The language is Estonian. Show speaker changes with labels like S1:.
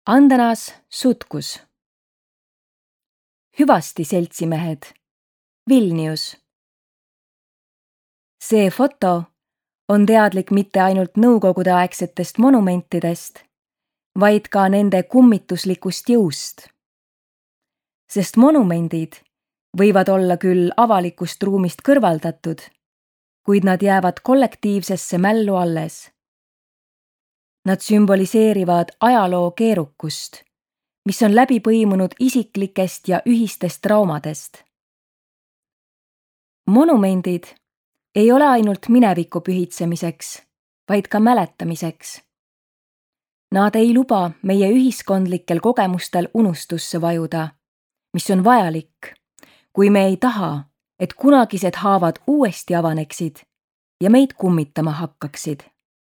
S1: Andanas sutkus. Hüvasti, seltsimehed. Vilnius. See foto on teadlik mitte ainult nõukogudeaegsetest monumentidest, vaid ka nende kummituslikust jõust. Sest monumendid võivad olla küll avalikust ruumist kõrvaldatud, kuid nad jäävad kollektiivsesse mällu alles. Nad sümboliseerivad ajaloo keerukust, mis on läbi põimunud isiklikest ja ühistest traumadest. Monumendid ei ole ainult mineviku pühitsemiseks, vaid ka mäletamiseks. Nad ei luba meie ühiskondlikel kogemustel unustusse vajuda, mis on vajalik, kui me ei taha, et kunagised haavad uuesti avaneksid ja meid kummitama hakkaksid.